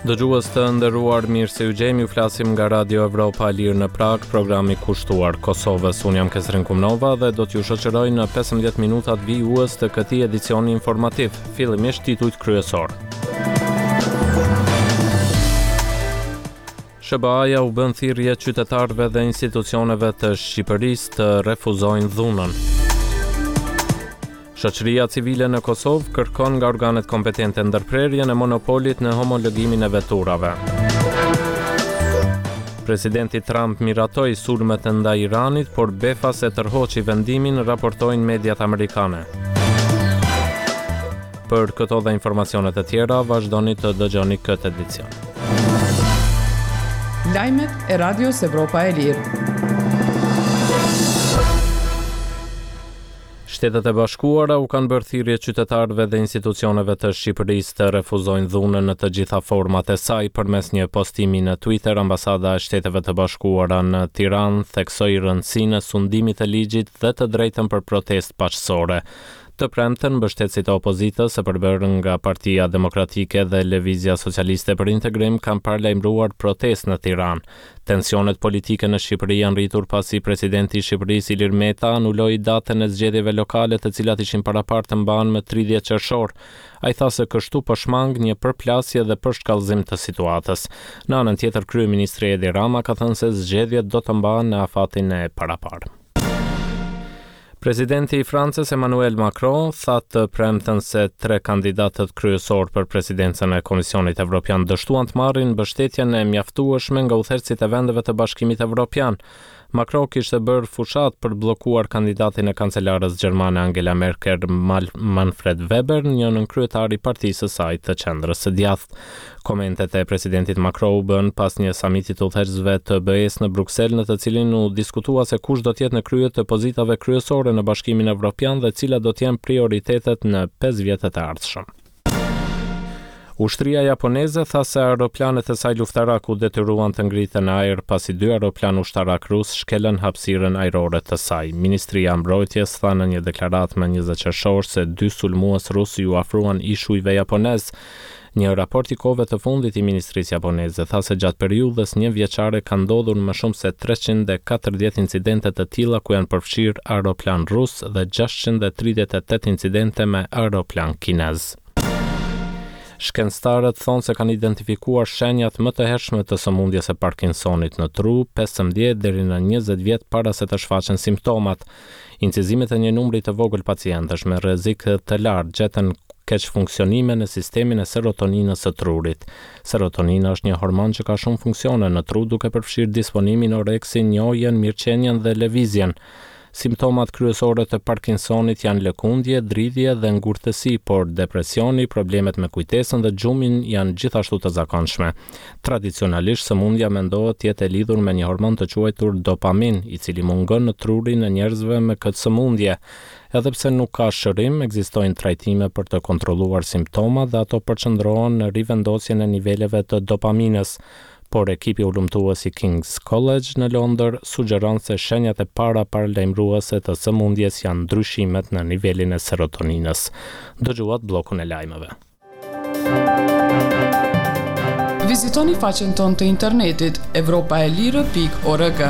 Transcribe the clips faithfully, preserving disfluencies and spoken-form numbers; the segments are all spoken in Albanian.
Dëgjues të nderuar, mirë se ju gjejmë, ju flasim nga Radio Evropa e Lirë në Prag, programi kushtuar Kosovës. Unë jam Kesrin Kumnova dhe do t'ju shoqëroj në pesëmbëdhjetë minutat vijues të këtij edicioni informativ. Fillimisht titujt kryesor. S H B A-ja u bën thirrje qytetarëve dhe institucioneve të Shqipërisë të refuzojnë dhunën. Shoqëria civile në Kosovë kërkon nga organet kompetente ndërprerjen e monopolit në homologimin e veturave. Presidenti Trump miratoi sulmet ndaj Iranit, por befas e tërhoqi vendimin, raportojnë mediat amerikane. Për këto dhe informacionet e tjera, vazhdoni të dëgjoni këtë edicion. Lajmet e Radios Evropa e Lirë. Shtetet e Bashkuara u kanë bërë thirrje qytetarëve dhe institucioneve të Shqipërisë të refuzojnë dhunën në të gjitha format e saj. Përmes një postimi në Twitter, ambasada e Shteteve të Bashkuara në Tiranë theksoi rëndësinë e sundimit të ligjit dhe të drejtën për protestë paqësore. Të premten, mbështetësit e opozitës, e përbërë nga Partia Demokratike dhe Lëvizja Socialiste për Integrim, kanë paralajmëruar protestë në Tiranë. Tensionet politike në Shqipëri janë rritur pasi presidenti i Shqipërisë Ilir Meta anuloi datën e zgjedhjeve lokale, të cilat ishin paraparë të mbahen më tridhjetë qershor. Ai tha se kështu po shmang një përplasje dhe përshkallëzim të situatës. Në anën tjetër, kryeministri Edi Rama ka thënë se zgjedhjet do të mbahen në afatin e paraparë. Presidenti i Francës Emmanuel Macron tha të premten se tre kandidatët kryesor për presidencën e Komisionit Evropian dështuan të marrin mbështetjen e mjaftueshme nga udhëheqësit e vendeve të Bashkimit Evropian. Macron kishte bërë fushat për bllokuar kandidatin e kancelarës gjermane Angela Merkel, Manfred Weber, një nënkryetar i partisë së saj të qendrës së djathtë. Komentet e presidentit Macron u bën pas një samiti të udhëheqësve të B E-s në Bruksel, në të cilin u diskutua se kush do të jetë në krye të pozitave kryesore në Bashkimin Evropian dhe cilat do të jenë prioritetet në pesë vjetët e ardhshëm. Ushtria japoneze tha se aeroplanet e saj luftarak u detyruan të ngritën në ajër pasi dy aeroplanë ushtarak rus shkelën hapësirën ajrore të saj. Ministria e Mbrojtjes tha në një deklaratë më njëzet qershor se dy sulmues rus ju afruan ishujve japonez. Një raport i kohëve të fundit i Ministrisë Japoneze tha se gjatë periudhës një vjeçare ka ndodhur më shumë se treqind e katërdhjetë incidente të tilla ku janë përfshirë aeroplan rus dhe gjashtëqind e tridhjetë e tetë incidente me aeroplan kinez. Shkencëtarët thonë se kanë identifikuar shenjat më të hershme të sëmundjes së Parkinsonit në tru pesëmbëdhjetë deri në njëzet vjet para se të shfaqen simptomat. Incizimet e një numri të vogël pacientësh me rrezik të lartë gjetën keq funksionime në sistemin e serotoninës së trurit. Serotonina është një hormon që ka shumë funksione në tru, duke përfshirë disponimin, oreksin, njohjen, mirëqenien dhe lëvizjen. Simptomat kryesore të Parkinsonit janë lëkundje, dridhje dhe ngurtësi, por depresioni, problemet me kujtesën dhe gjumin janë gjithashtu të zakonshme. Tradicionalisht, sëmundja mendohet të jetë e lidhur me një hormon të quajtur dopamin, i cili mungon në trurin e njerëzve me këtë sëmundje. Edhe pse nuk ka shërim, ekzistojnë trajtime për të kontrolluar simptomat dhe ato përqendrohen në rivendosjen e niveleve të dopaminës. Por ekipi hulumtues i King's College në Londër sugjeron se shenjat e para paralajmëruese të sëmundjes janë ndryshimet në nivelin e serotoninës. Dëgjuat bllokun e lajmeve. Vizitoni faqen tonë të internetit evropaelire pikë org.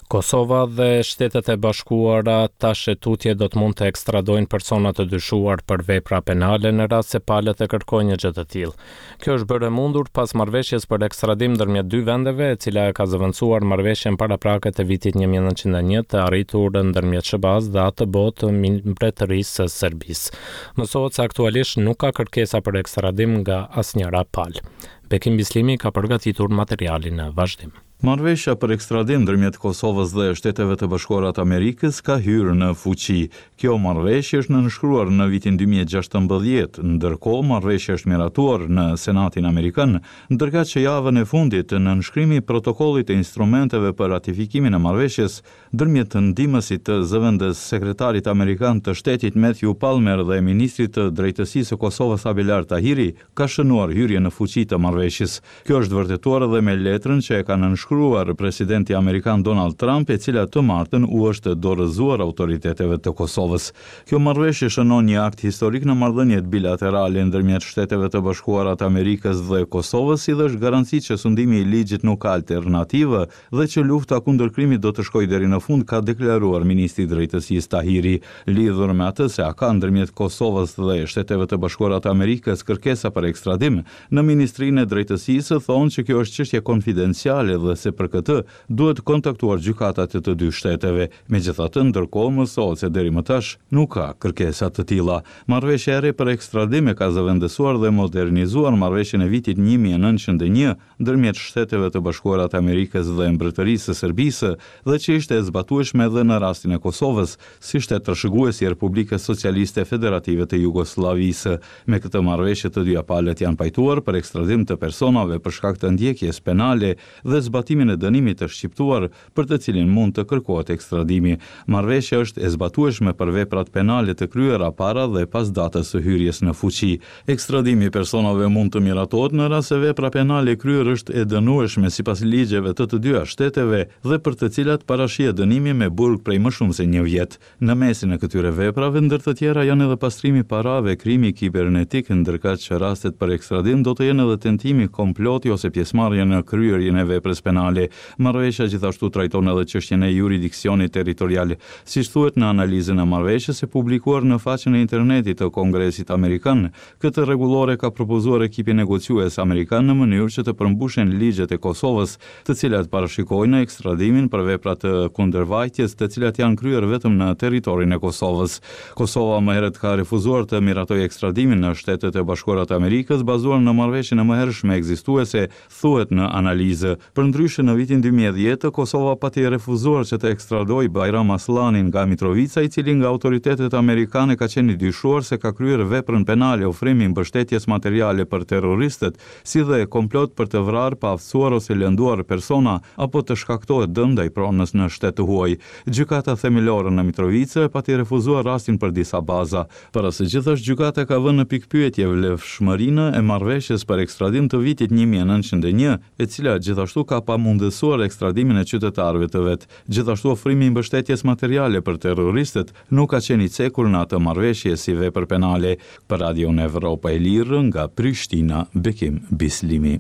Kosova dhe Shtetet e Bashkuara tash e tutje do të mund të ekstradojnë persona të dyshuar për vepra penale në rast se palët e kërkojnë një gjë të tillë. Kjo është bërë e mundur pas marrëveshjes për ekstradim ndërmjet dy vendeve, e cila e ka zëvendësuar marrëveshjen paraprake të vitit një mijë e nëntëqind e një të arritur ndërmjet S H B A-s dhe atë botë Mbretërisë së Serbisë. Mësohet se aktualisht nuk ka kërkesa për ekstradim nga asnjëra palë. Bekim Bislimi ka përgatitur materialin në vazhdim. Marrëveshja për ekstradim ndërmjet Kosovës dhe Shteteve të Bashkuara të Amerikës ka hyrë në fuqi. Kjo marrëveshje është nënshkruar në vitin dy mijë e gjashtëmbëdhjetë, ndërkohë marrëveshja është miratuar në Senatin Amerikan, ndërkaq që javën e fundit nënshkrimi i protokollit të instrumenteve për ratifikimin e marrëveshjes ndërmjet ndihmësit të zëvendës sekretarit amerikan të shtetit Matthew Palmer dhe ministrit të Drejtësisë së Kosovës Abelard Tahiri ka shënuar hyrjen në fuqi të marrëveshjes. Kjo është vërtetuar edhe me letrën që e ka nënshkruar nënshkruar presidenti amerikan Donald Trump, e cila të martën u është dorëzuar autoriteteve të Kosovës. Kjo marrëveshje shënon një akt historik në marrëdhëniet bilaterale ndërmjet Shteteve të Bashkuara të Amerikës dhe Kosovës, si dhe është garanci që sundimi i ligjit nuk ka alternativë dhe që lufta kundër krimit do të shkojë deri në fund, ka deklaruar ministri i Drejtësisë Tahiri. Lidhur me atë se a ka ndërmjet Kosovës dhe Shteteve të Bashkuara të Amerikës kërkesa për ekstradim, në Ministrinë e Drejtësisë thonë që kjo është çështje konfidenciale dhe se për këtë duhet kontaktuar gjykatat e të dy shteteve. Megjithatë, ndërkohë mësohet se deri më tash nuk ka kërkesa të tilla. Marrëveshja e re për ekstradim e ka zëvendësuar dhe modernizuar marrëveshjen e vitit një mijë e nëntëqind e një ndërmjet Shteteve të Bashkuara të Amerikës dhe Mbretërisë së Serbisë dhe që ishte e zbatueshme edhe në rastin e Kosovës, si shtet trashëgues i Republikës Socialiste Federative të Jugosllavisë. Me këtë marrëveshje të dyja palët janë pajtuar për ekstradim të personave për shkak të ndjekjes penale dhe zbatimin e dënimit të shqiptuar për të cilin mund të kërkohet ekstradimi. Marrëveshja është e zbatueshme për veprat penale të kryera para dhe pas datës së hyrjes në fuqi. Ekstradimi i personave mund të miratohet në rast se vepra penale e kryer është e dënueshme sipas ligjeve të të dyja shteteve dhe për të cilat parashihet dënimi me burg prej më shumë se një vjet. Në mesin e këtyre veprave, ndër të tjera janë edhe pastrimi i parave, krimi kibernetik, ndërkaq rastet për ekstradim do të jenë edhe tentimi, komploti ose pjesëmarrja në kryerjen e veprës penale. Marrëveshja gjithashtu trajton edhe çështjen e juridiksionit territorial. Siç thuhet në analizën e marrëveshjes e publikuar në faqen e internetit të Kongresit Amerikan, këtë rregullore ka propozuar ekipi negociues amerikan në mënyrë që të përmbushen ligjet e Kosovës, të cilat parashikojnë ekstradimin për vepra të kundërvajtjes, të cilat janë kryer vetëm në territorin e Kosovës. Kosova më herët ka refuzuar të miratojë ekstradimin në Shtetet e Bashkuara të Amerikës bazuar në marrëveshjen e mëhershme ekzistuese, thuhet në analizë. Përndryshe, në vitin dy mijë e dhjetë, Kosova pati refuzuar që të ekstradojë Bajram Asllanin nga Mitrovica, i cili nga autoritetet amerikane ka qenë i dyshuar se ka kryer veprën penale ofrimi i mbështetjes materiale për terroristët, si dhe komplot për të vrarë, paaftësuar ose lënduar persona apo të shkaktohet dëm ndaj pronës në shtet të huaj. Gjykata Themelore në Mitrovicë pati refuzuar rastin për disa baza. Para së gjithash, gjykata ka vënë në pikëpyetje vlefshmërinë e marrëveshjes për ekstradim të vitit një mijë e nëntëqind e një, e cila gjithashtu ka pamundësuar ekstradimin e qytetarëve të vet. Gjithashtu, ofrimi i mbështetjes materiale për terroristët nuk ka qenë i cekur në atë marrëveshje si vepër penale. Për Radion Evropa e Lirë nga Prishtina, Bekim Bislimi.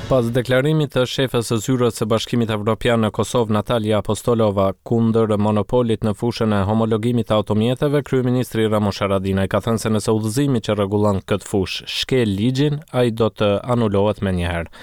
Pas deklarimit të shefës së zyrës së Bashkimit Evropian në Kosovë, Natalia Apostolova, kundër monopolit në fushën e homologimit të automjeteve, kryeministri Ramush Haradinaj ka thënë se nëse udhëzimi që rregullon këtë fushë shkel ligjin, ai do të anulohet menjëherë.